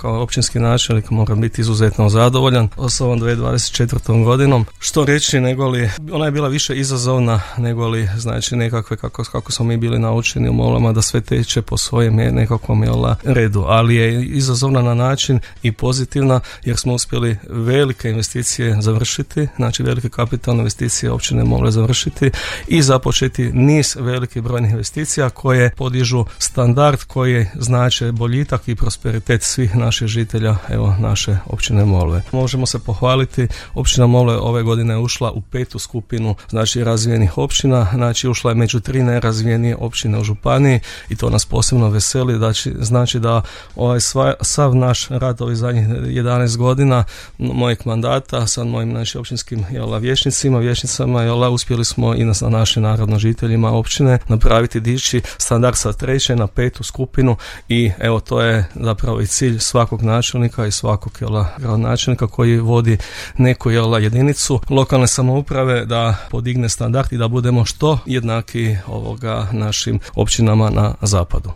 Kao općinski načelnik moram biti izuzetno zadovoljan s ovom 2024. godinom. Što reći, negoli ona je bila više izazovna negoli znači nekakve kako smo mi bili naučeni u Molama da sve teče po svojem nekakvom redu, ali je izazovna na način i pozitivna jer smo uspjeli velike investicije završiti, znači velike kapitalne investicije općine Mole završiti i započeti niz velikih brojnih investicija koje podižu standard, koji znače boljitak i prosperitet svih naših žitelja, evo, naše općine Molve. Možemo se pohvaliti, općina Molve ove godine je ušla u 5. skupinu, znači razvijenih općina, znači ušla je među 3 najrazvijenije općine u županiji i to nas posebno veseli, znači da sav naš rad ovih zadnjih 11 godina mojeg mandata sa mojim znači, općinskim vijećnicama, uspjeli smo i na našim narodno žiteljima općine napraviti dići standard sa 3. na 5. skupinu i evo to je zapravo i cilj svakog načelnika i svakog gradonačelnika koji vodi neku jedinicu lokalne samouprave da podigne standard i da budemo što jednaki našim općinama na zapadu.